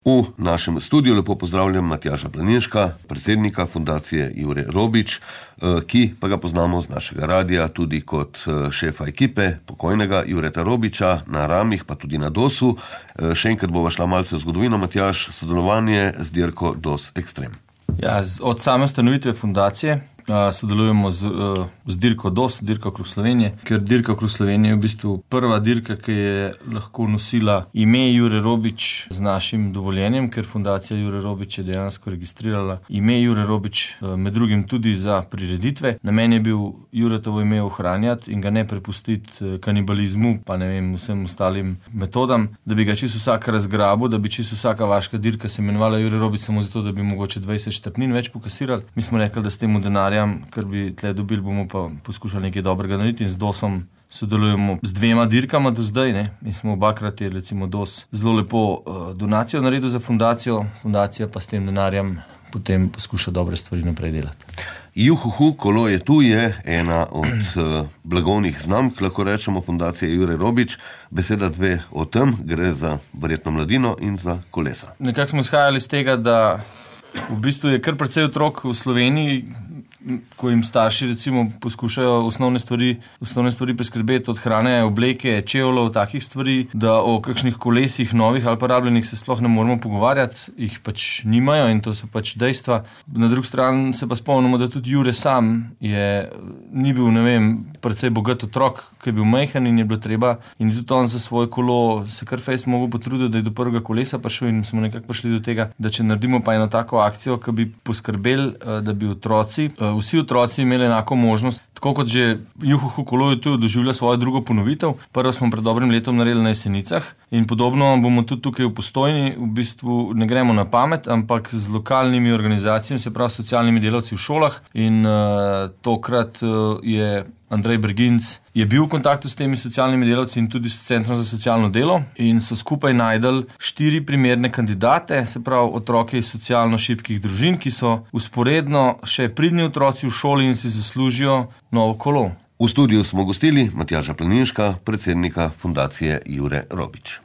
V našem studiu lepo pozdravljam Matjaža Planinška, predsednika fundacije Jure Robič, ki pa ga poznamo z našega radia tudi kot šefa ekipe pokojnega Jureta Robiča na Ramih, pa tudi na DOS-u. Še enkrat bova šla malce v zgodovino, Matjaž, sodelovanje z dirko DOS Extreme. Ja, od same ustanovitve fundacije sodelujemo z dirko DOS, dirko okrog Slovenije, ker dirka okrog Slovenije je v bistvu prva dirka, ki je lahko nosila ime Jure Robič z našim dovoljenjem, ker fundacija Jure Robič je dejansko registrirala ime Jure Robič, med drugim tudi za prireditve. Namen je bil Juretovo ime ohranjati in ga ne prepustiti kanibalizmu, pa ne vem, vsem ostalim metodam, da bi ga čisto vsak razgrabil, da bi čisto vsaka vaška dirka se imenovala Jure Robič samo zato, da bi mogoče 20 štartnin več pokasirali. Mi smo rekli, da s temu denarjem, kar bi tle dobili, bomo pa poskušali nekaj dobrega narediti in z DOS-om sodelujemo z 2 dirkama do zdaj, ne. In smo obakrat je recimo DOS zelo lepo donacijo naredil za fundacijo, fundacija pa s tem denarjem potem poskuša dobre stvari naprej delati. Juhuhu, kolo je tu, je ena od blagovnih znamk, lahko rečemo, fundacije Jure Robič. Beseda 2 o tem, gre za verjetno mladino in za kolesa. Nekako smo izhajali iz tega, da v bistvu je kar precej otrok v Sloveniji, ko jim starši recimo poskušajo osnovne stvari priskrbeti, od hrane, obleke, čevljev, takih stvari, da o kakšnih kolesih novih ali pa rabljenih se sploh ne moramo pogovarjati, jih pač nimajo in to so pač dejstva. Na drugi strani se pa spomnimo, da tudi Jure sam ni bil, ne vem, precej bogat otrok, ki je bil majhen in je bilo treba in tudi on za svoje kolo se kar fejst mogel potruditi, da je do prvega kolesa prišel in smo nekako prišli do tega, da če naredimo pa eno tako akcijo, ki bi poskrbeli, da bi vsi otroci imeli enako možnost, tako kot že Juhuhu kolo je tu doživlja svojo drugo ponovitev. Prvo smo pred dobrim letom naredili na Jesenicah in podobno bomo tudi tukaj v Postojni. V bistvu ne gremo na pamet, ampak z lokalnimi organizacijami, se pravi socialnimi delavci v šolah in tokrat je Andrej Berginc je bil v kontaktu s temi socialnimi delavci in tudi s Centrom za socialno delo in so skupaj najdeli 4 primerne kandidate, se pravi otroke iz socialno šibkih družin, ki so vzporedno še pridni otroci v šoli in si zaslužijo novo kolo. V studiu smo gostili Matjaža Planinška, predsednika fundacije Jure Robič.